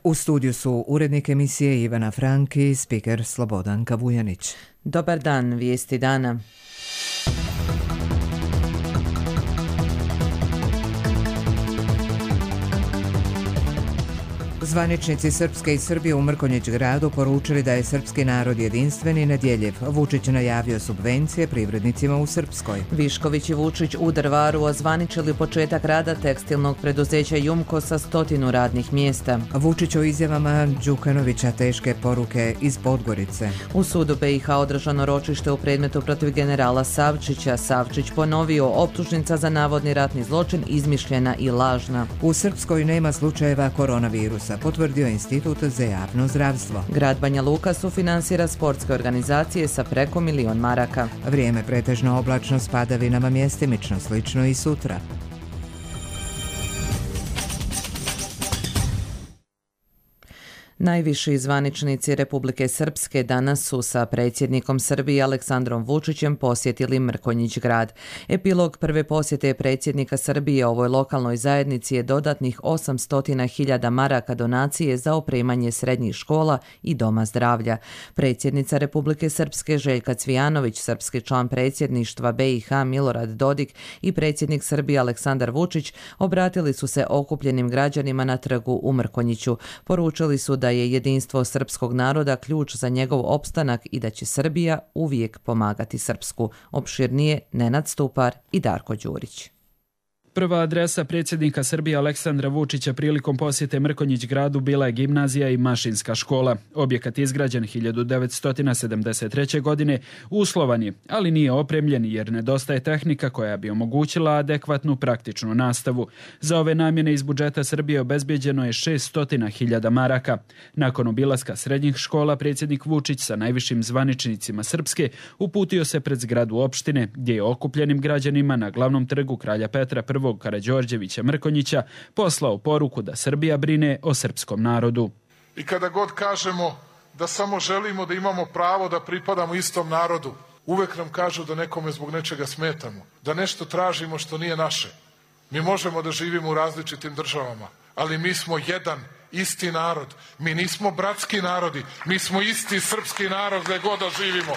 U studiju su urednik emisije Ivana Frank i spiker Slobodanka Vujanić. Dobar dan, vijesti dana. Zvaničnici Srpske i Srbije u Mrkonjić gradu poručili da je srpski narod jedinstven i nedjeljiv. Vučić najavio subvencije privrednicima u Srpskoj. Višković i Vučić u Drvaru ozvaničili početak rada tekstilnog preduzeća Jumko sa 100 radnih mjesta. Vučić o izjavama Đukanovića teške poruke iz Podgorice. U sudu BiH održano ročište u predmetu protiv generala Savčića. Savčić ponovio, optužnica za navodni ratni zločin izmišljena i lažna. U Srpskoj nema slučajeva koronavirusa, potvrdio Institut za javno zdravstvo. Grad Banja Luka sufinansira sportske organizacije sa preko 1 milion maraka. Vrijeme pretežno oblačno s padavinama mjestimično, slično i sutra. Najviši zvaničnici Republike Srpske danas su sa predsjednikom Srbije Aleksandrom Vučićem posjetili Mrkonjić grad. Epilog prve posjete predsjednika Srbije ovoj lokalnoj zajednici je dodatnih 800.000 maraka donacije za opremanje srednjih škola i doma zdravlja. Predsjednica Republike Srpske Željka Cvijanović, srpski član predsjedništva BiH Milorad Dodik i predsjednik Srbije Aleksandar Vučić obratili su se okupljenim građanima na trgu u Mrkonjiću. Poručili su da je jedinstvo srpskog naroda ključ za njegov opstanak i da će Srbija uvijek pomagati Srpsku. Opširnije Nenad Stupar i Darko Đurić. Prva adresa predsjednika Srbije Aleksandra Vučića prilikom posjete Mrkonjić gradu bila je gimnazija i mašinska škola. Objekat izgrađen 1973. godine uslovan je, ali nije opremljen jer nedostaje tehnika koja bi omogućila adekvatnu praktičnu nastavu. Za ove namjene iz budžeta Srbije obezbeđeno je 600.000 maraka. Nakon obilaska srednjih škola, predsjednik Vučić sa najvišim zvaničnicima Srpske uputio se pred zgradu opštine, gdje je okupljenim građanima na glavnom trgu Kralja Petra I Karađorđevića Mrkonjića poslao poruku da Srbija brine o srpskom narodu. I kada god kažemo da samo želimo da imamo pravo da pripadamo istom narodu, uvek nam kažu da nekome zbog nečega smetamo, da nešto tražimo što nije naše. Mi možemo da živimo u različitim državama, ali mi smo jedan isti narod. Mi nismo bratski narodi, mi smo isti srpski narod gde god da živimo.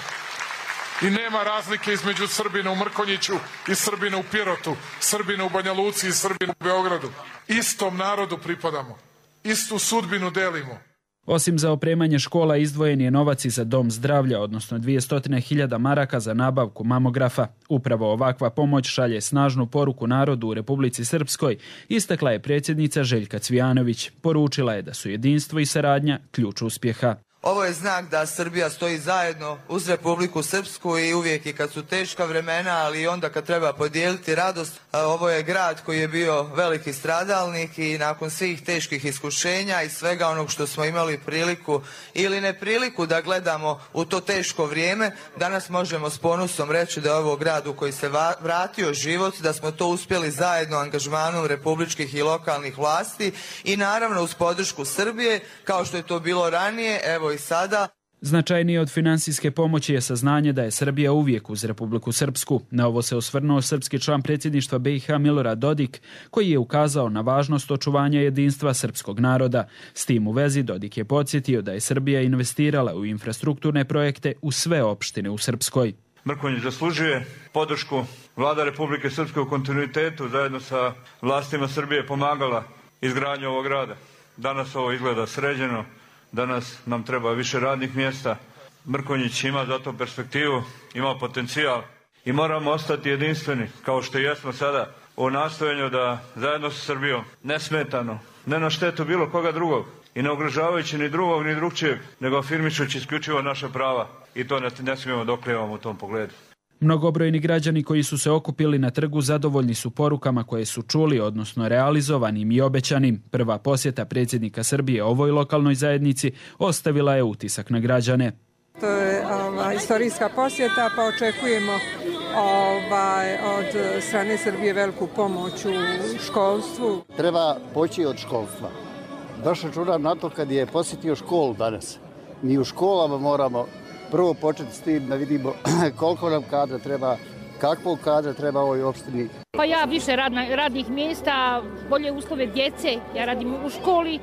I nema razlike između Srbina u Mrkonjiću i Srbina u Pirotu, Srbina u Banja Luci i Srbina u Beogradu. Istom narodu pripadamo, istu sudbinu delimo. Osim za opremanje škola, izdvojen je novac i za dom zdravlja, odnosno 200.000 maraka za nabavku mamografa. Upravo ovakva pomoć šalje snažnu poruku narodu u Republici Srpskoj, istakla je predsjednica Željka Cvijanović. Poručila je da su jedinstvo i saradnja ključ uspjeha. Ovo je znak da Srbija stoji zajedno uz Republiku Srpsku i uvijek i kad su teška vremena, ali i onda kad treba podijeliti radost. Ovo je grad koji je bio veliki stradalnik i nakon svih teških iskušenja i svega onog što smo imali priliku ili nepriliku da gledamo u to teško vrijeme, danas možemo s ponosom reći da je ovo grad u koji se vratio život, da smo to uspjeli zajedno angažmanom republičkih i lokalnih vlasti i naravno uz podršku Srbije, kao što je to bilo ranije, evo i sada. Značajnije od finansijske pomoći je saznanje da je Srbija uvijek uz Republiku Srpsku. Na ovo se osvrnuo srpski član predsjedništva BiH Milorad Dodik, koji je ukazao na važnost očuvanja jedinstva srpskog naroda. S tim u vezi Dodik je podsjetio da je Srbija investirala u infrastrukturne projekte u sve opštine u Srpskoj. Mrkonjić zaslužuje podršku. Vlada Republike Srpske u kontinuitetu zajedno sa vlastima Srbije pomagala izgradnju ovog grada. Danas ovo izgleda sređeno. Danas nam treba više radnih mjesta. Mrkonjić ima za to perspektivu, ima potencijal i moramo ostati jedinstveni, kao što jesmo sada, u nastojanju da zajedno sa Srbijom, nesmetano, ne na štetu bilo koga drugog i ne ugrožavajući ni drugog ni drugčijeg, nego afirmišući isključivo naša prava i to ne smijemo da oklevamo u tom pogledu. Mnogobrojni građani koji su se okupili na trgu zadovoljni su porukama koje su čuli, odnosno realizovanim i obećanim. Prva posjeta predsjednika Srbije ovoj lokalnoj zajednici ostavila je utisak na građane. To je istorijska posjeta, pa očekujemo od strane Srbije veliku pomoć u školstvu. Treba poći od školstva. Baš računam na to kad je posjetio školu danas. Mi u školama moramo prvo početi s tim da vidimo koliko nam kadra treba, kakvog kadra treba ovoj opštini. Pa ja više radnih mjesta, bolje uslove djece, ja radim u školi.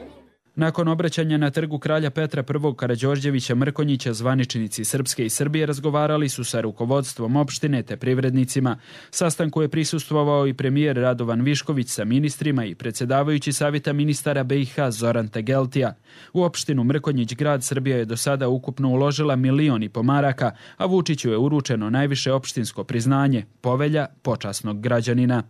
Nakon obraćanja na trgu kralja Petra I. Karađorđevića Mrkonjića, zvaničnici Srpske i Srbije razgovarali su sa rukovodstvom opštine te privrednicima. Sastanku je prisustvovao i premijer Radovan Višković sa ministrima i predsjedavajući savjeta ministara BiH Zoran Tegeltija. U opštinu Mrkonjić grad Srbija je do sada ukupno uložila 1,5 miliona maraka, a Vučiću je uručeno najviše opštinsko priznanje, povelja počasnog građanina.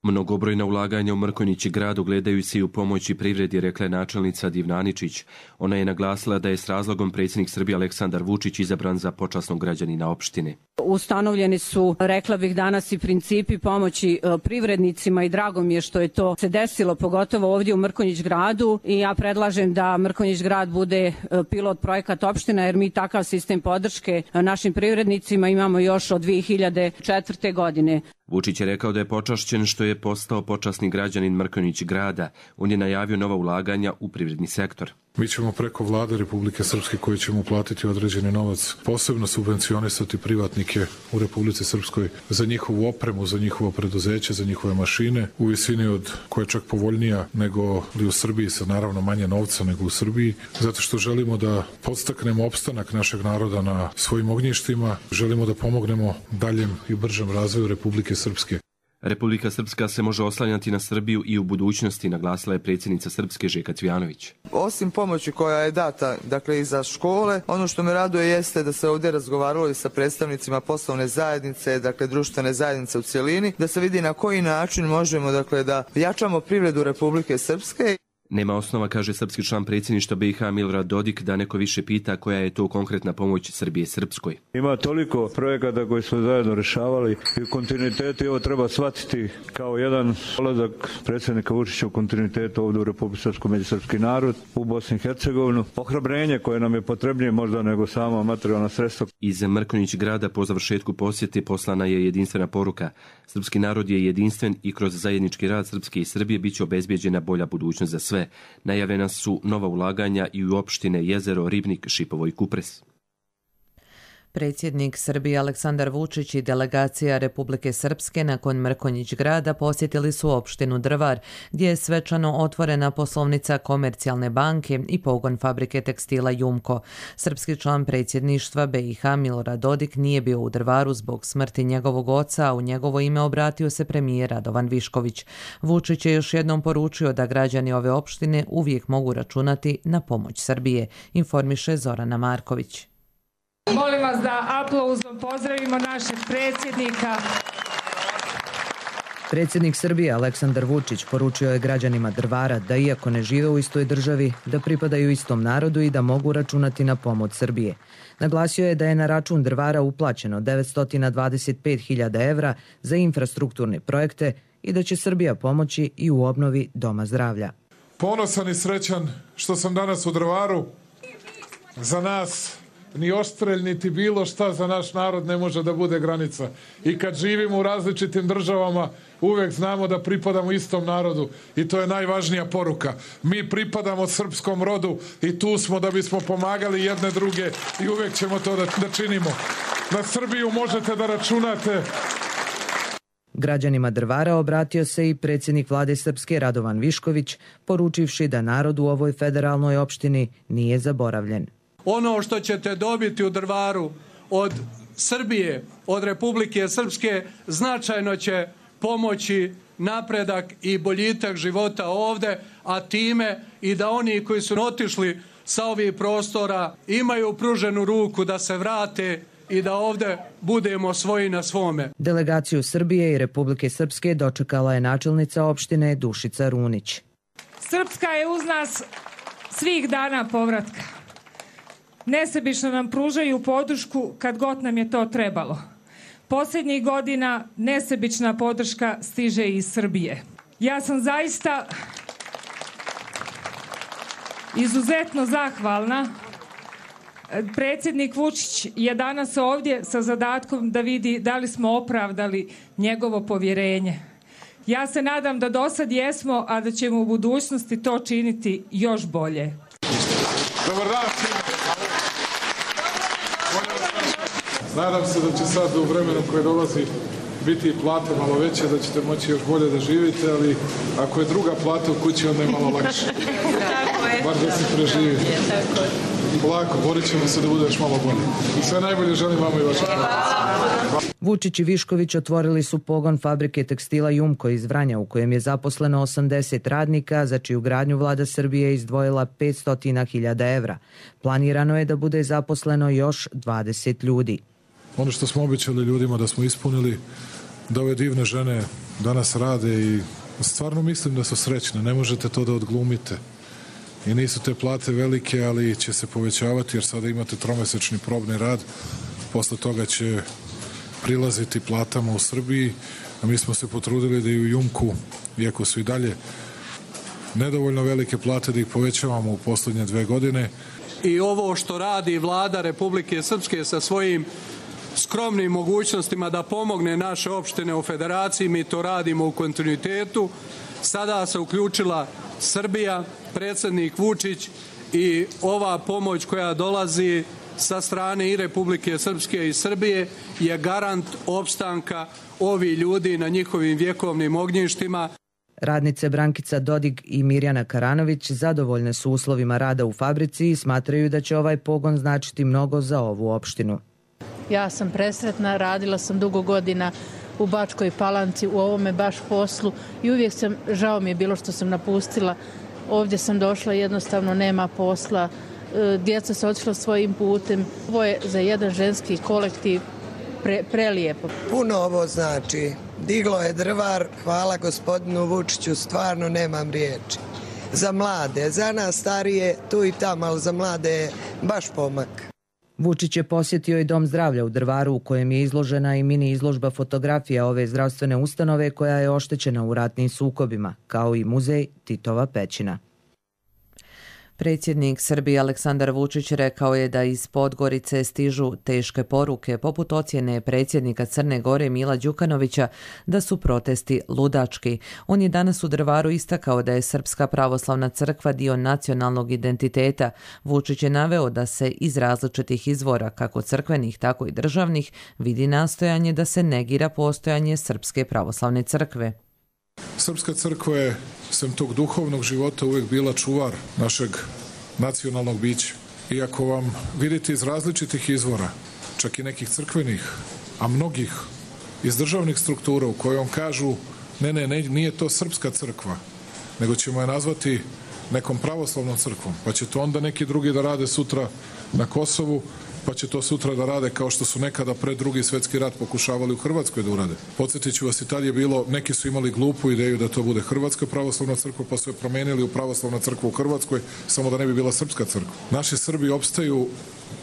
Mnogobrojna ulaganja u Mrkonjić grad ogledaju se i u pomoći privredi, rekla je načelnica Divnaničić. Ona je naglasila da je s razlogom predsjednik Srbije Aleksandar Vučić izabran za počasnog građanina opštine. Ustanovljeni su, rekla bih danas, i principi pomoći privrednicima i drago mi je što je to se desilo, pogotovo ovdje u Mrkonjić gradu, i ja predlažem da Mrkonjić grad bude pilot projekat opština, jer mi takav sistem podrške našim privrednicima imamo još od 2004. godine. Vučić je rekao da je počašćen što je postao počasni građanin Mrkonjić grada. On je najavio nova ulaganja u privredni sektor. Mi ćemo preko vlade Republike Srpske, koji ćemo uplatiti određeni novac, posebno subvencionisati privatnike u Republici Srpskoj za njihovu opremu, za njihovo preduzeće, za njihove mašine u visini od koja je čak povoljnija nego li u Srbiji, sa naravno manje novca nego u Srbiji, zato što želimo da podstaknemo opstanak našeg naroda na svojim ognjištima, želimo da pomognemo daljem i bržem razvoju Republike Srpske. Republika Srpska se može oslanjati na Srbiju i u budućnosti, naglasila je predsjednica Srpske Željka Cvijanović. Osim pomoći koja je data, dakle, i za škole, ono što me raduje jeste da se ovdje razgovaralo i sa predstavnicima poslovne zajednice, dakle društvene zajednice u cjelini, da se vidi na koji način možemo, dakle, da jačamo privredu Republike Srpske. Nema osnova, kaže srpski član predsjedništva BiH Milorad Dodik, da neko više pita koja je to konkretna pomoć Srbije Srpskoj. Ima toliko projekata koji smo zajedno rješavali i u kontinuitetu, ovo treba shvatiti kao jedan dolazak predsjednika Vučića u kontinuitetu ovdje u Republici Srpskoj među srpski narod, u Bosni i Hercegovinu. Ohrabrenje koje nam je potrebnije možda nego sama materijalna sredstva. Iz Mrkonjić grada po završetku posjete poslana je jedinstvena poruka. Srpski narod je jedinstven i kroz zajednički rad Srpske i Srbije biće obezbijeđena bolja budućnost za sve. Najavljena su nova ulaganja i u opštine Jezero, Ribnik, Šipovo i Kupres. Predsjednik Srbije Aleksandar Vučić i delegacija Republike Srpske nakon Mrkonjić grada posjetili su opštinu Drvar, gdje je svečano otvorena poslovnica Komercijalne banke i pogon fabrike tekstila Jumko. Srpski član predsjedništva BiH Milorad Dodik nije bio u Drvaru zbog smrti njegovog oca, a u njegovo ime obratio se premijer Radovan Višković. Vučić je još jednom poručio da građani ove opštine uvijek mogu računati na pomoć Srbije, informiše Zorana Marković. Molim vas da aplauzom pozdravimo našeg predsjednika. Predsjednik Srbije Aleksandar Vučić poručio je građanima Drvara da iako ne žive u istoj državi, da pripadaju istom narodu i da mogu računati na pomoć Srbije. Naglasio je da je na račun Drvara uplaćeno 925.000 evra za infrastrukturne projekte i da će Srbija pomoći i u obnovi Doma zdravlja. Ponosan i srećan što sam danas u Drvaru. Za nas ni Oštrelj, niti bilo šta za naš narod ne može da bude granica. I kad živimo u različitim državama, uvek znamo da pripadamo istom narodu. I to je najvažnija poruka. Mi pripadamo srpskom rodu i tu smo da bismo pomagali jedne druge i uvek ćemo to da činimo. Na Srbiju možete da računate. Građanima Drvara obratio se i predsjednik vlade Srpske Radovan Višković, poručivši da narod u ovoj federalnoj opštini nije zaboravljen. Ono što ćete dobiti u Drvaru od Srbije, od Republike Srpske, značajno će pomoći napredak i boljitak života ovde, a time i da oni koji su otišli sa ovih prostora imaju pruženu ruku da se vrate i da ovde budemo svoji na svome. Delegaciju Srbije i Republike Srpske dočekala je načelnica opštine Dušica Runić. Srpska je uz nas svih dana povratka. Nesebično nam pružaju podršku kad god nam je to trebalo. Posljednjih godina nesebična podrška stiže iz Srbije. Ja sam zaista izuzetno zahvalna. Predsjednik Vučić je danas ovdje sa zadatkom da vidi da li smo opravdali njegovo povjerenje. Ja se nadam da do sad jesmo, a da ćemo u budućnosti to činiti još bolje. Dobar dan svima. Nadam se da će sad u vremenu koje dolazi biti i plate malo veće, da ćete moći još bolje da živite, ali ako je druga plata u kući, onda je malo lakše. Bar da se preživi. Lako, borit ćemo se da bude još malo bolje. I sve najbolje želim vama i vašem. Vučić i Višković otvorili su pogon fabrike tekstila Jumko iz Vranja u kojem je zaposleno 80 radnika, za čiju gradnju vlada Srbije izdvojila 500.000 evra. Planirano je da bude zaposleno još 20 ljudi. Ono što smo obećali ljudima da smo ispunili, da ove divne žene danas rade i stvarno mislim da su srećne. Ne možete to da odglumite. I nisu te plate velike, ali će se povećavati jer sada imate tromesečni probni rad. Posle toga će prilaziti platama u Srbiji, a mi smo se potrudili da i u Jumku, iako su i dalje nedovoljno velike plate, da ih povećavamo u poslednje 2 godine. I ovo što radi vlada Republike Srpske sa svojim skromnim mogućnostima da pomogne naše opštine u federaciji, mi to radimo u kontinuitetu. Sada se uključila Srbija, predsjednik Vučić i ova pomoć koja dolazi sa strane i Republike Srpske i Srbije je garant opstanka ovih ljudi na njihovim vjekovnim ognjištima. Radnice Brankica Dodig i Mirjana Karanović zadovoljne su uslovima rada u fabrici i smatraju da će ovaj pogon značiti mnogo za ovu opštinu. Ja sam presretna, radila sam dugo godina u Bačkoj Palanci u ovome baš poslu i uvijek žao mi je bilo što sam napustila. Ovdje sam došla, jednostavno nema posla, djeca se otišla svojim putem. Ovo je za jedan ženski kolektiv prelijepo. Puno ovo znači. Diglo je drvar, hvala gospodinu Vučiću, stvarno nemam riječi. Za mlade, za nas starije tu i tamo, ali za mlade je baš pomak. Vučić je posjetio i Dom zdravlja u Drvaru u kojem je izložena i mini izložba fotografija ove zdravstvene ustanove koja je oštećena u ratnim sukobima, kao i muzej Titova pećina. Predsjednik Srbije Aleksandar Vučić rekao je da iz Podgorice stižu teške poruke poput ocjene predsjednika Crne Gore Mila Đukanovića da su protesti ludački. On je danas u Drvaru istakao da je Srpska pravoslavna crkva dio nacionalnog identiteta. Vučić je naveo da se iz različitih izvora, kako crkvenih tako i državnih, vidi nastojanje da se negira postojanje Srpske pravoslavne crkve. Srpska crkva je, sem tog duhovnog života, uvijek bila čuvar našeg nacionalnog bića. Iako vam vidite iz različitih izvora, čak i nekih crkvenih, a mnogih iz državnih struktura u kojom kažu ne, nije to Srpska crkva, nego ćemo je nazvati nekom pravoslavnom crkvom, pa će to onda neki drugi da rade sutra na Kosovu, pa će to sutra da rade kao što su nekada pred Drugi svjetski rat pokušavali u Hrvatskoj da urade. Podsjetit ću vas, i tad je bilo, neki su imali glupu ideju da to bude Hrvatska pravoslavna crkva, pa su je promenili u pravoslavna crkva u Hrvatskoj, samo da ne bi bila Srpska crkva. Naši Srbi opstaju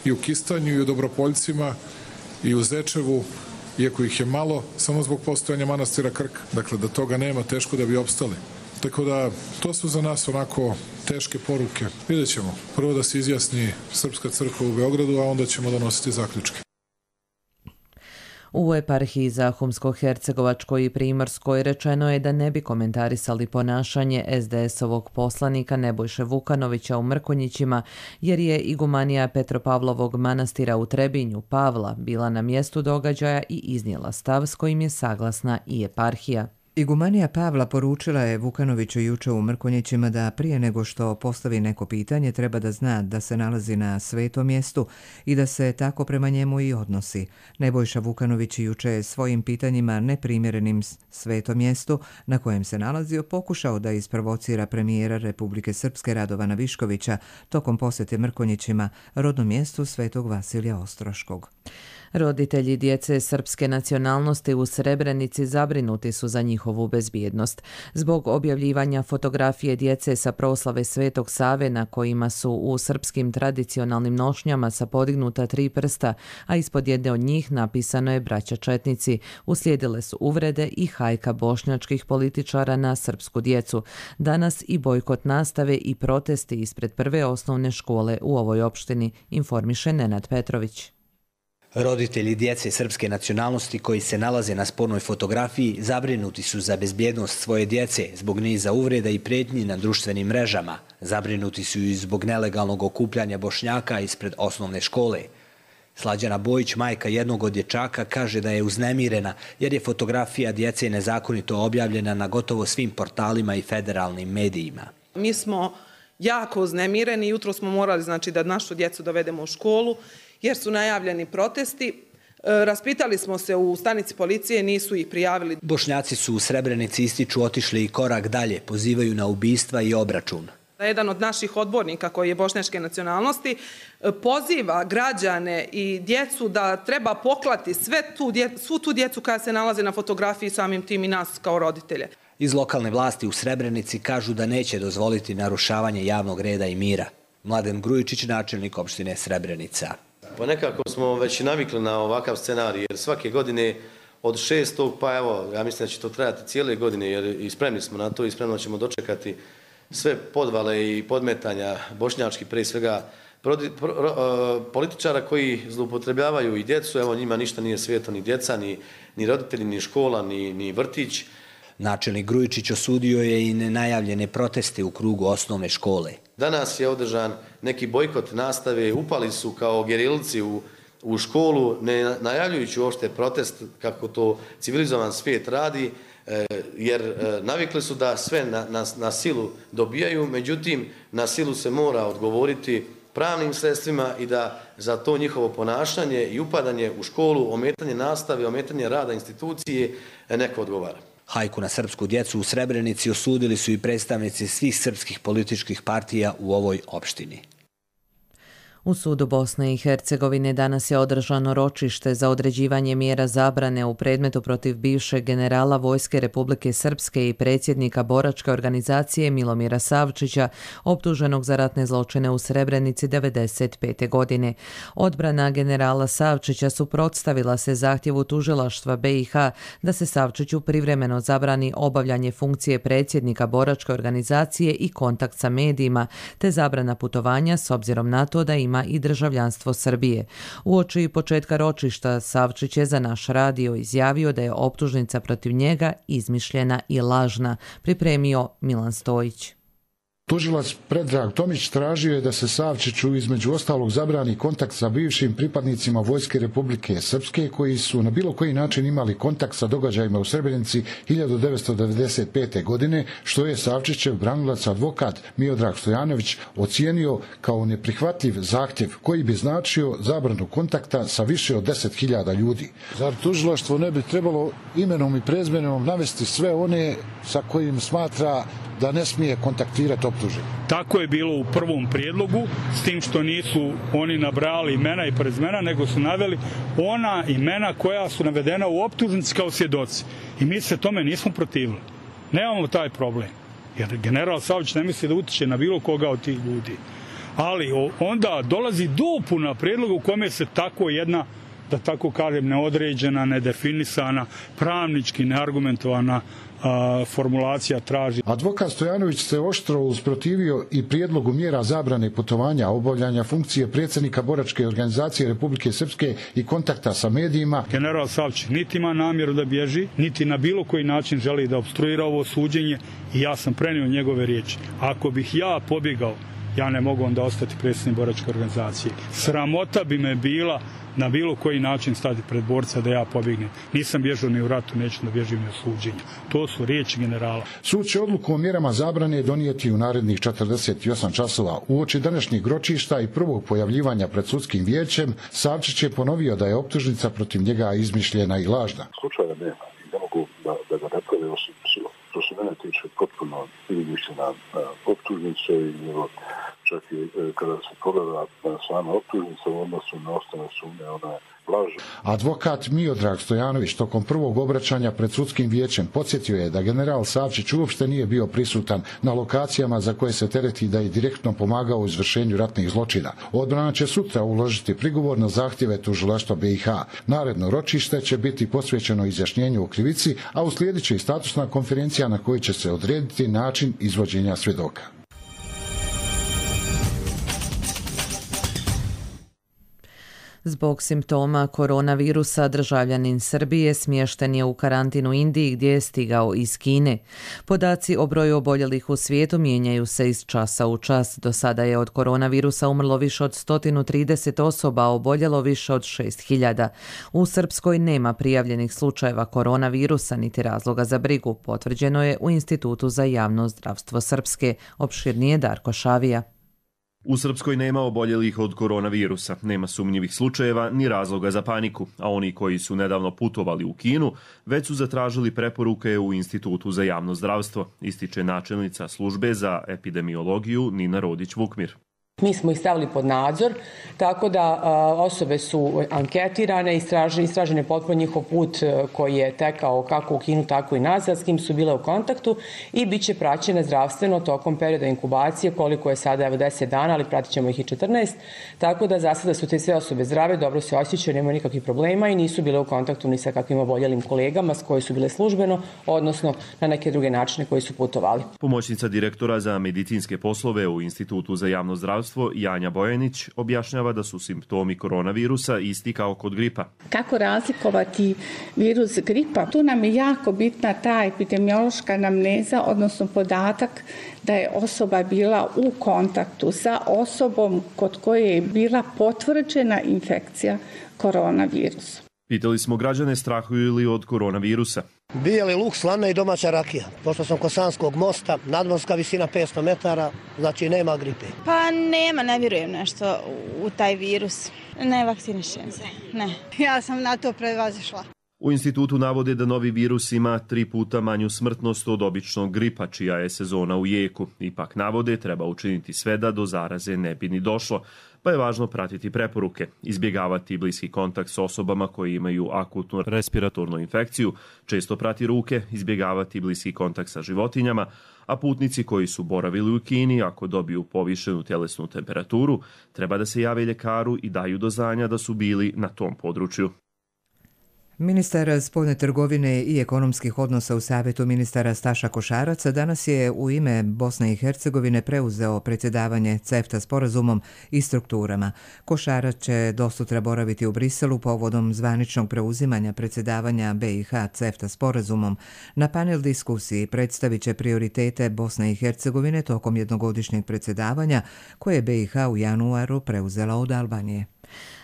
i u Kistanju, i u Dobropoljcima, i u Zečevu, iako ih je malo, samo zbog postojanja manastira Krk. Dakle, da toga nema, teško da bi opstali. Tako da, to su za nas onako teške poruke. Vidjet ćemo. Prvo da se izjasni Srpska crkva u Beogradu, a onda ćemo donositi zaključke. U eparhiji Zahumsko-Hercegovačkoj i Primorskoj rečeno je da ne bi komentarisali ponašanje SDS-ovog poslanika Nebojše Vukanovića u Mrkonjićima, jer je igumanija Petropavlovog manastira u Trebinju, Pavla, bila na mjestu događaja i iznijela stav s kojim je saglasna i eparhija. Igumanija Pavla poručila je Vukanoviću juče u Mrkonjićima da prije nego što postavi neko pitanje treba da zna da se nalazi na svetom mjestu i da se tako prema njemu i odnosi. Nebojša Vukanović juče je svojim pitanjima neprimjerenim svetom mjestu na kojem se nalazio pokušao da isprovocira premijera Republike Srpske Radovana Viškovića tokom posjete Mrkonjićima, rodnom mjestu Svetog Vasilija Ostroškog. Roditelji djece srpske nacionalnosti u Srebrenici zabrinuti su za njihovu bezbjednost. Zbog objavljivanja fotografije djece sa proslave Svetog Save na kojima su u srpskim tradicionalnim nošnjama sa podignuta 3 prsta, a ispod jedne od njih napisano je braća četnici, uslijedile su uvrede i hajka bošnjačkih političara na srpsku djecu. Danas i bojkot nastave i protesti ispred prve osnovne škole u ovoj opštini, informiše Nenad Petrović. Roditelji djece srpske nacionalnosti koji se nalaze na spornoj fotografiji zabrinuti su za bezbjednost svoje djece zbog niza uvreda i prijetnji na društvenim mrežama. Zabrinuti su i zbog nelegalnog okupljanja Bošnjaka ispred osnovne škole. Slađana Bojić, majka jednog od dječaka, kaže da je uznemirena jer je fotografija djece nezakonito objavljena na gotovo svim portalima i federalnim medijima. Mi smo jako uznemireni. Jutro smo morali znači da našu djecu dovedemo u školu jer su najavljeni protesti. Raspitali smo se u stanici policije, nisu ih prijavili. Bošnjaci su u Srebrenici, ističu, otišli i korak dalje, pozivaju na ubistva i obračun. Jedan od naših odbornika koji je bošnjačke nacionalnosti poziva građane i djecu da treba poklati svu tu djecu koja se nalaze na fotografiji, samim tim i nas kao roditelje. Iz lokalne vlasti u Srebrenici kažu da neće dozvoliti narušavanje javnog reda i mira. Mladen Grujičić, načelnik opštine Srebrenica. Pa nekako smo već navikli na ovakav scenarij, jer svake godine od 6. pa evo, ja mislim da će to trajati cijele godine, jer i spremni smo na to i spremno ćemo dočekati sve podvale i podmetanja bošnjački, prije svega političara koji zloupotrebljavaju i djecu. Evo, njima ništa nije sveto, ni djeca, ni roditelji, ni škola, ni vrtić. Načelnik Grujičić osudio je i nenajavljene proteste u krugu osnovne škole. Danas je održan neki bojkot nastave, upali su kao gerilci u školu, ne najavljujući uopšte protest kako to civilizovan svijet radi, jer navikli su da sve na silu dobijaju, međutim na silu se mora odgovoriti pravnim sredstvima i da za to njihovo ponašanje i upadanje u školu, ometanje nastave, ometanje rada institucije neko odgovara. Hajku na srpsku djecu u Srebrenici osudili su i predstavnici svih srpskih političkih partija u ovoj opštini. U sudu Bosne i Hercegovine danas je održano ročište za određivanje mjera zabrane u predmetu protiv bivšeg generala Vojske Republike Srpske i predsjednika boračke organizacije Milomira Savčića, optuženog za ratne zločine u Srebrenici 1995. godine. Odbrana generala Savčića suprotstavila se zahtjevu tužilaštva BiH da se Savčiću privremeno zabrani obavljanje funkcije predsjednika boračke organizacije i kontakt sa medijima, te zabrana putovanja s obzirom na to da ima i državljanstvo Srbije. Uoči početka ročišta Savčić je za naš radio izjavio da je optužnica protiv njega izmišljena i lažna, pripremio Milan Stojić. Tužilac Predrag Tomić tražio je da se Savčiću između ostalog zabrani kontakt sa bivšim pripadnicima Vojske Republike Srpske koji su na bilo koji način imali kontakt sa događajima u Srebrenici 1995. godine, što je Savčićev branilac advokat Miodrag Stojanović ocijenio kao neprihvatljiv zahtjev koji bi značio zabranu kontakta sa više od 10.000 ljudi. Zar tužilaštvo ne bi trebalo imenom i prezmenom navesti sve one sa kojim smatra da ne smije kontaktirati optuženi? Tako je bilo u prvom prijedlogu, s tim što nisu oni nabrali imena i prezimena, nego su naveli ona imena koja su navedena u optužnici kao svjedoci. I mi se tome nismo protivili. Nemamo taj problem. Jer general Savčić ne misli da utiče na bilo koga od tih ljudi. Ali onda dolazi dopuna prijedloga u kome se tako jedna, da tako kažem, neodređena, nedefinisana, pravnički neargumentovana formulacija traži. Advokat Stojanović se oštro usprotivio i prijedlogu mjera zabrane putovanja, obavljanja funkcije predsjednika boračke organizacije Republike Srpske i kontakta sa medijima. General Savčić niti ima namjeru da bježi, niti na bilo koji način želi da opstruira ovo suđenje i ja sam prenio njegove riječi. Ako bih ja pobjegao, ja ne mogu onda ostati predsjednik boračke organizacije. Sramota bi me bila na bilo koji način stati pred borca da ja pobjegnem. Nisam bježao ni u ratu, neću da bježim ni u suđenju. To su riječi generala. Sud će odluku o mjerama zabrane donijeti u narednih 48 časova. Uoči današnjeg ročišta i prvog pojavljivanja pred sudskim vijećem, Savčić je ponovio da je optužnica protiv njega izmišljena i lažna. Slučaja nema i ne mogu da ga naprave osim što se mene tiče potpuno izmišljena optužnica i čak i kada se pogleda sama optužnica u odnosu na ostale sumnje, ona je lažna. Advokat Miodrag Stojanović tokom prvog obraćanja pred sudskim vijećem podsjetio je da general Savčić uopšte nije bio prisutan na lokacijama za koje se tereti da je direktno pomagao u izvršenju ratnih zločina. Odbrana će sutra uložiti prigovor na zahtjeve tužilaštva BiH. Naredno ročište će biti posvećeno izjašnjenju o krivici, a uslijedit će i statusna konferencija na kojoj će se odrediti način izvođenja svjedoka. Zbog simptoma koronavirusa državljanin Srbije smješten je u karantin u Indiji gdje je stigao iz Kine. Podaci o broju oboljelih u svijetu mijenjaju se iz časa u čas. Do sada je od koronavirusa umrlo više od 130 osoba, a oboljelo više od 6.000. U Srpskoj nema prijavljenih slučajeva koronavirusa niti razloga za brigu, potvrđeno je u Institutu za javno zdravstvo Srpske. Opširnije Darko Šavija. U Srpskoj nema oboljelih od koronavirusa, nema sumnjivih slučajeva ni razloga za paniku, a oni koji su nedavno putovali u Kinu već su zatražili preporuke u Institutu za javno zdravstvo, ističe načelnica službe za epidemiologiju Nina Rodić-Vukmir. Mi smo ih stavili pod nadzor, tako da osobe su anketirane, istražene potpuno njihov put koji je tekao kako u Kinu, tako i nazad, s kim su bile u kontaktu i bit će praćene zdravstveno tokom perioda inkubacije, koliko je sada 10 dana, ali pratit ćemo ih i 14, tako da za sada su te sve osobe zdrave, dobro se osjećaju, nema nikakvih problema i nisu bile u kontaktu ni sa kakvim oboljelim kolegama s koji su bile službeno, odnosno na neke druge načine koji su putovali. Pomoćnica direktora za medicinske poslove u Institutu za javno zdravstvo Janja Bojanić objašnjava da su simptomi koronavirusa isti kao kod gripa. Kako razlikovati virus gripa? Tu nam je jako bitna ta epidemiološka anamneza, odnosno podatak da je osoba bila u kontaktu sa osobom kod koje je bila potvrđena infekcija koronavirusom. Pitali smo građane strahuju li od koronavirusa. Bijeli luk, slana i domaća rakija. Pošto sam kod Sanskog mosta, nadmorska visina 500 metara, znači nema gripe. Pa nema, ne vjerujem nešto u taj virus. Ne vakcinišem se, ne. Ja sam na to prevazišla. U institutu navode da novi virus ima 3 puta manju smrtnost od običnog gripa, čija je sezona u jeku. Ipak navode treba učiniti sve da do zaraze ne bi ni došlo, pa je važno pratiti preporuke, izbjegavati bliski kontakt s osobama koji imaju akutnu respiratornu infekciju, često prati ruke, izbjegavati bliski kontakt sa životinjama, a putnici koji su boravili u Kini, ako dobiju povišenu tjelesnu temperaturu, treba da se jave ljekaru i daju do znanja da su bili na tom području. Ministar spoljne trgovine i ekonomskih odnosa u Savjetu ministara Staša Košarac danas je u ime Bosne i Hercegovine preuzeo predsjedavanje CEFTA sporazumom i strukturama. Košarac će dosutra boraviti u Briselu povodom zvaničnog preuzimanja predsjedavanja BiH CEFTA sporazumom. Na panel diskusiji predstavit će prioritete Bosne i Hercegovine tokom jednogodišnjeg predsjedavanja koje je BiH u januaru preuzela od Albanije.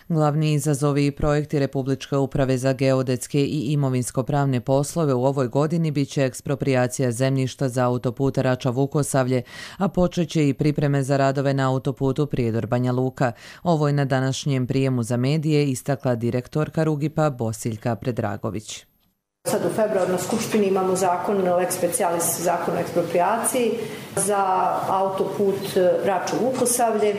Glavni izazovi i projekti Republičke uprave za geodetske i imovinsko-pravne poslove u ovoj godini bit će eksproprijacija zemljišta za autoput Rača-Vukosavlje, a počeće i pripreme za radove na autoputu Prijedor-Banja Luka. Ovo je na današnjem prijemu za medije istakla direktorka Rugipa Bosiljka Predragović. Sad u februaru na Skupštini imamo zakon lex specialis, zakon o eksproprijaciji za autoput Rača-Vukosavlje,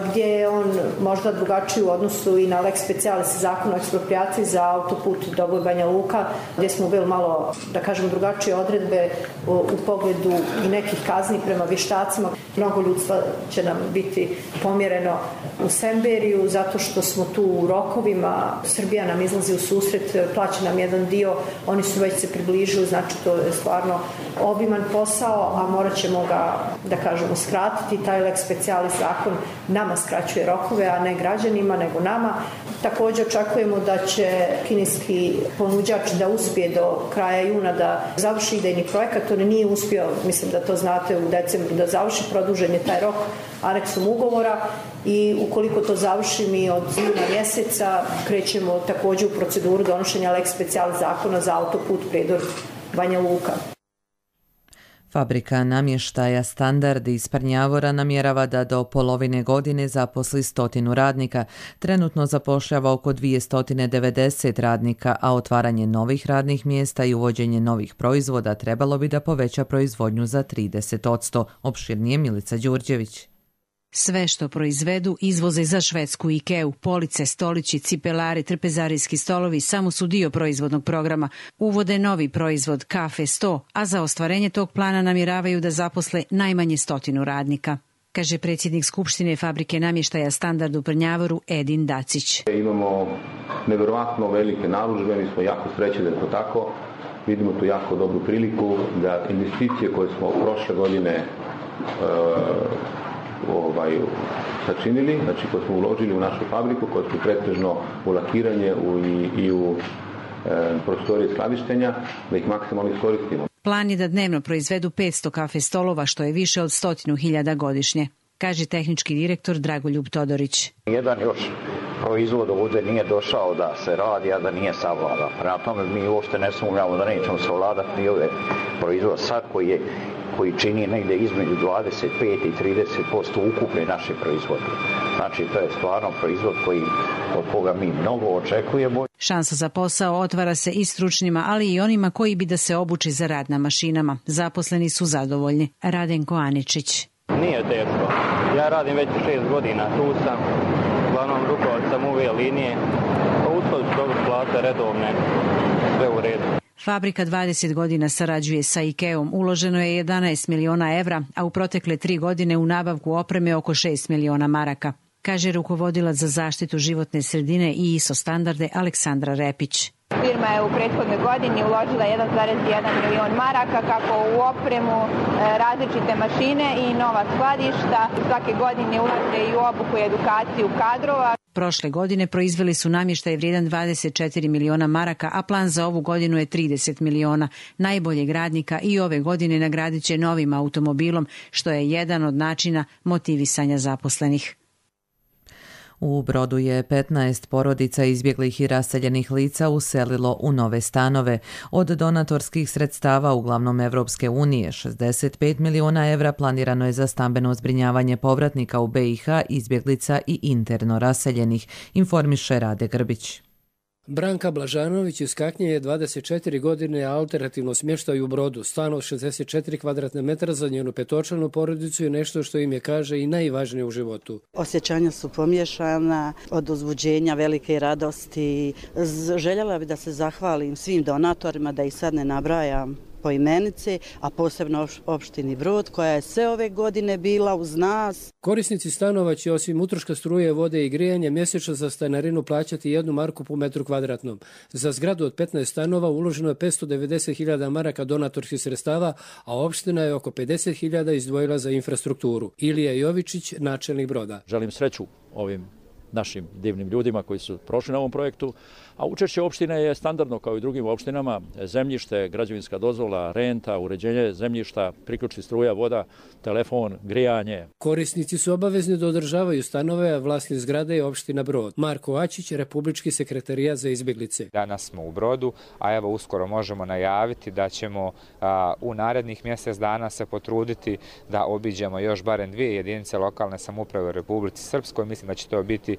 gdje je on možda drugačiji u odnosu i na lex specialis zakon o eksproprijaciji za autoput Doboj-Banja Luka, gdje smo bili malo, da kažem, drugačije odredbe u pogledu i nekih kazni prema vještacima. Mnogo ljudstva će nam biti pomjereno u Semberiju, zato što smo tu u rokovima. Srbija nam izlazi u susret, plaća nam jedan dio, oni su već se približili, znači to je stvarno obiman posao, a morat ćemo ga, da kažemo, skratiti. Taj lex specialis zakon nama skraćuje rokove, a ne građanima, nego nama. Također očekujemo da će kineski ponuđač da uspije do kraja juna da završi idejni projekat. On nije uspio, mislim da to znate, u decembru da završi, produžen je taj rok aneksom ugovora i ukoliko to završi mi od juna mjeseca krećemo također u proceduru donošenja lex specialis zakona za autoput Prijedor-Banja Luka. Fabrika namještaja Standard iz Prnjavora namjerava da do polovine godine zaposli 100 radnika. Trenutno zapošljava oko 290 radnika, a otvaranje novih radnih mjesta i uvođenje novih proizvoda trebalo bi da poveća proizvodnju za 30%. Opširnije Milica Đurđević. Sve što proizvedu izvoze za švedsku Ikeu. Police, stolići, cipelari, trpezarijski stolovi samo su dio proizvodnog programa. Uvode novi proizvod Kafe 100, a za ostvarenje tog plana namjeravaju da zaposle najmanje 100 radnika, kaže predsjednik Skupštine Fabrike namještaja Standard u Prnjavoru Edin Dacić. Imamo nevjerovatno velike narudžbe, mi smo jako srećni da je to tako. Vidimo tu jako dobru priliku da investicije koje smo prošle godine sačinili, znači koje smo uložili u našu fabriku, koje su pretežno u lakiranje i u prostorije skladištenja, da ih maksimalno iskoristimo. Plan je da dnevno proizvedu 500 kafe stolova, što je više od 100.000 godišnje, kaže tehnički direktor Dragoljub Todorić. Jedan još proizvod ovdje nije došao da se radi, a da nije savlada. Prema tome mi uopšte ne sumnjamo da nećemo savladati ni ove proizvod sad koji čini negdje između 25 i 30% ukupne naše proizvodnje. Znači to je stvarno proizvod od koga mi mnogo očekujemo. Šansa za posao otvara se i stručnima, ali i onima koji bi da se obuči za rad na mašinama. Zaposleni su zadovoljni. Radenko Aničić. Nije teško. Ja radim već 6 godina, tu sam. Uglavnom rukovac sam ove linije. Uspod su dobro plate, redovne, sve u redu. Fabrika 20 godina sarađuje sa IKEA-om. Uloženo je 11 miliona evra, a u protekle 3 godine u nabavku opreme oko 6 miliona maraka, kaže rukovodilac za zaštitu životne sredine i ISO standarde Aleksandra Repić. Firma je u prethodnoj godini uložila 1,1 milion maraka kako u opremu, različite mašine i nova skladišta. Svake godine ulaže i u obuku i edukaciju kadrova. Prošle godine proizveli su namještaj vrijedan 24 miliona maraka, a plan za ovu godinu je 30 miliona. Najboljeg radnika i ove godine nagradit će novim automobilom, što je jedan od načina motivisanja zaposlenih. U Brodu je 15 porodica izbjeglih i raseljenih lica uselilo u nove stanove. Od donatorskih sredstava, uglavnom Evropske unije, 65 miliona evra planirano je za stambeno zbrinjavanje povratnika u BiH, izbjeglica i interno raseljenih, informiše Rade Grbić. Branka Blažanović iz Kaknje je 24 godine alternativno smještaju u Brodu. Stan od 64 kvadratne metra za njenu petočlanu porodicu je nešto što im je, kaže, i najvažnije u životu. Osjećanja su pomiješana od uzbuđenja, velike radosti. Željela bi da se zahvalim svim donatorima, da ih sad ne nabrajam po imenice, a posebno opštini Brod koja je sve ove godine bila uz nas. Korisnici stanova će osim utroška struje, vode i grijanja mjesečno za stanarinu plaćati 1 marku po metru kvadratnom. Za zgradu od 15 stanova uloženo je 590.000 maraka donatorskih sredstava, a opština je oko 50.000 izdvojila za infrastrukturu. Ilija Jovičić, načelnik Broda. Želim sreću ovim našim divnim ljudima koji su prošli na ovom projektu, a učešće opštine je standardno kao i drugim opštinama, zemljište, građevinska dozvola, renta, uređenje zemljišta, priključci struja, voda, telefon, grijanje. Korisnici su obavezni da održavaju stanove, a vlasnik zgrade je opština Brod. Marko Ačić, Republički sekretarijat za izbjeglice. Danas smo u Brodu, a evo uskoro možemo najaviti da ćemo u narednih mjesec dana se potruditi da obiđemo još barem 2 jedinice lokalne samouprave u Republici Srpskoj. Mislim da će to biti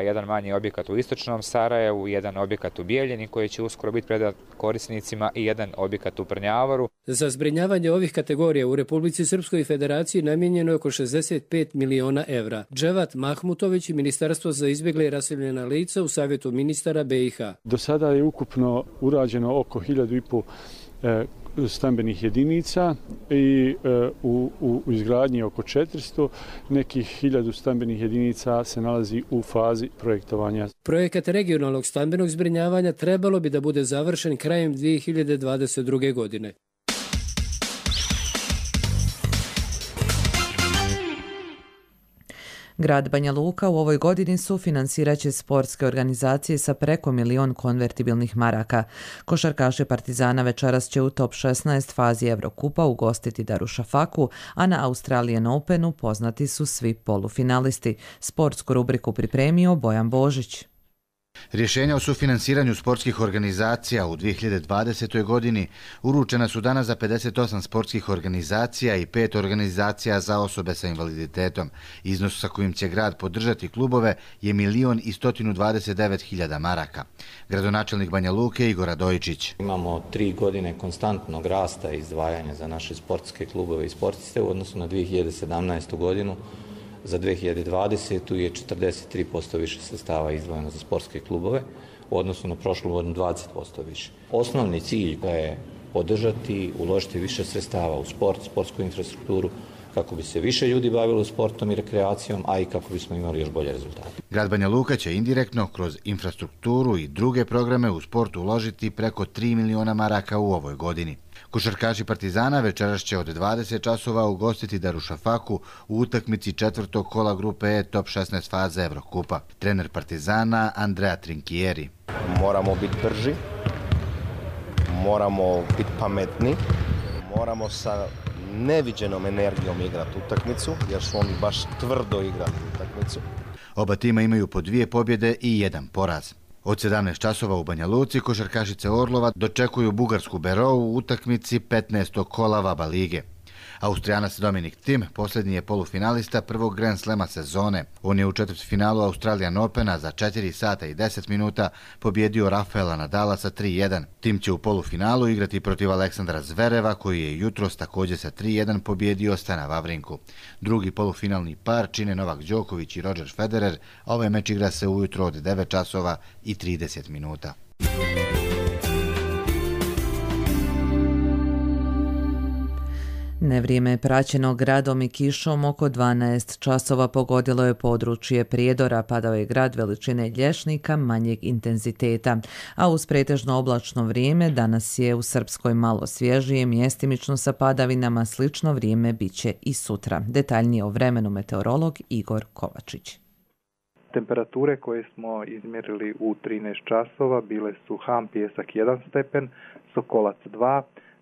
jedan manji objekat u istočnom Sarajevu, jedan objekat u Bijeljini koji će uskoro biti predat korisnicima i jedan objekat u Prnjavaru. Za zbrinjavanje ovih kategorija u Republici Srpskoj Federaciji namijenjeno je oko 65 miliona evra. Dževat Mahmutović i Ministarstvo za izbjegle i raseljena lica u Savjetu ministara BiH. Do sada je ukupno urađeno oko 1.500 stambenih jedinica i u izgradnji oko 400, nekih 1000 stambenih jedinica se nalazi u fazi projektovanja. Projekat regionalnog stambenog zbrinjavanja trebalo bi da bude završen krajem 2022. godine. Grad Banja Luka u ovoj godini sufinansirat će sportske organizacije sa preko 1 milion konvertibilnih maraka. Košarkaši Partizana večeras će u top 16 fazi Evrokupa ugostiti Darušafaku, a na Australian Openu poznati su svi polufinalisti. Sportsku rubriku pripremio Bojan Božić. Rješenja o sufinansiranju sportskih organizacija u 2020. godini uručena su danas za 58 sportskih organizacija i 5 organizacija za osobe sa invaliditetom. Iznos sa kojim će grad podržati klubove je 1.129.000 maraka. Gradonačelnik Banja Luke Igor Radojičić. Imamo 3 godine konstantnog rasta izdvajanja za naše sportske klubove i sportiste u odnosu na 2017. godinu. Za 2020. je 43% više sredstava izdvojeno za sportske klubove, u odnosu na prošlu godinu 20% više. Osnovni cilj je podržati, uložiti više sredstava u sport, sportsku infrastrukturu, kako bi se više ljudi bavilo sportom i rekreacijom, a i kako bismo imali još bolje rezultate. Grad Banja Luka će indirektno kroz infrastrukturu i druge programe u sportu uložiti preko 3 miliona maraka u ovoj godini. Košarkaši Partizana večeras će od 20 časova ugostiti Darušafaku u utakmici četvrtog kola grupe E top 16 faze Evrokupa. Trener Partizana Andrea Trinkieri. Moramo biti brži, moramo biti pametni, moramo sa neviđenom energijom igrati utakmicu, jer su oni baš tvrdo igrali utakmicu. Oba tima imaju po 2 pobjede i 1 poraz. Od 17 časova u Banja Luci košarkašice Orlova dočekuju bugarsku Berou u utakmici 15. kola Vaba lige. Austrijanac Dominik Thiem posljednji je polufinalista prvog Grand Slema sezone. On je u četvrtfinalu Australian Opena za 4 sata i 10 minuta pobjedio Rafaela Nadala sa 3-1. Thiem će u polufinalu igrati protiv Aleksandra Zvereva, koji je jutros također sa 3-1 pobjedio Stana Vavrinku. Drugi polufinalni par čine Novak Đoković i Roger Federer, a ovaj meč igra se ujutro od 9 časova i 30 minuta. Nevrijeme je praćeno gradom i kišom. Oko 12 časova pogodilo je područje Prijedora. Padao je grad veličine Lješnika manjeg intenziteta, a uz pretežno oblačno vrijeme danas je u Srpskoj malo svježije, mjestimično sa padavinama. Slično vrijeme biće i sutra. Detaljnije o vremenu meteorolog Igor Kovačić. Temperature koje smo izmjerili u 13 časova bile su Ham Pijesak 1 stepen, Sokolac 2,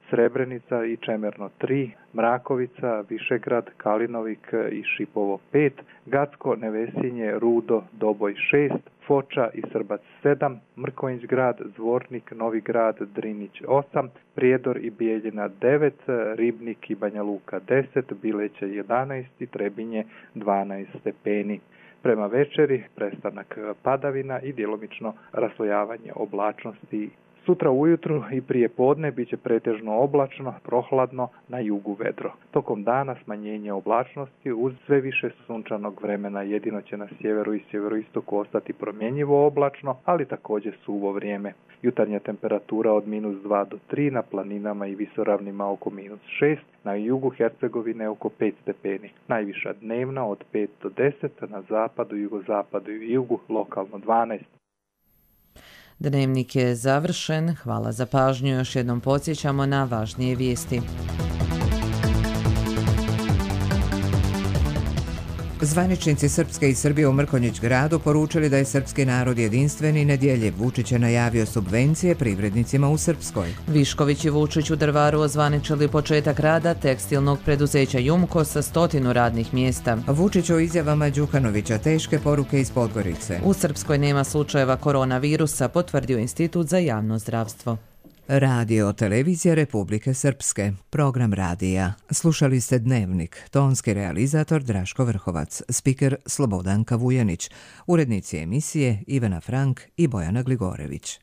Srebrenica i Čemerno 3, Mrakovica, Višegrad, Kalinovik i Šipovo 5, Gacko, Nevesinje, Rudo, Doboj 6, Foča i Srbac 7, Mrkonjić grad, Zvornik, Novi grad, Drinić 8, Prijedor i Bijeljina 9, Ribnik i Banja Luka 10, Bileće 11 i Trebinje 12 stepeni. Prema večeri prestanak padavina i djelomično raslojavanje oblačnosti. Sutra ujutru i prije podne bit će pretežno oblačno, prohladno, na jugu vedro. Tokom dana smanjenje oblačnosti uz sve više sunčanog vremena, jedino će na sjeveru i sjeveroistoku ostati promjenjivo oblačno, ali također suvo vrijeme. Jutarnja temperatura od -2 do 3, na planinama i visoravnima oko -6, na jugu Hercegovine oko 5 stepeni. Najviša dnevna od 5 do 10, na zapadu, jugozapadu i jugu lokalno 12. Dnevnik je završen. Hvala za pažnju. Još jednom podsjećamo na važnije vijesti. Zvaničnici Srpske i Srbije u Mrkonjić gradu poručili da je srpski narod jedinstven i nedjeljiv. Vučić je najavio subvencije privrednicima u Srpskoj. Višković i Vučić u Drvaru ozvaničili početak rada tekstilnog preduzeća Jumko sa 100 radnih mjesta. Vučić o izjavama Đukanovića teške poruke iz Podgorice. U Srpskoj nema slučajeva koronavirusa, potvrdio Institut za javno zdravstvo. Radio Televizija Republike Srpske, program radija. Slušali ste Dnevnik, tonski realizator Draško Vrhovac, spiker Slobodanka Vujanić, urednici emisije Ivana Frank i Bojana Gligorević.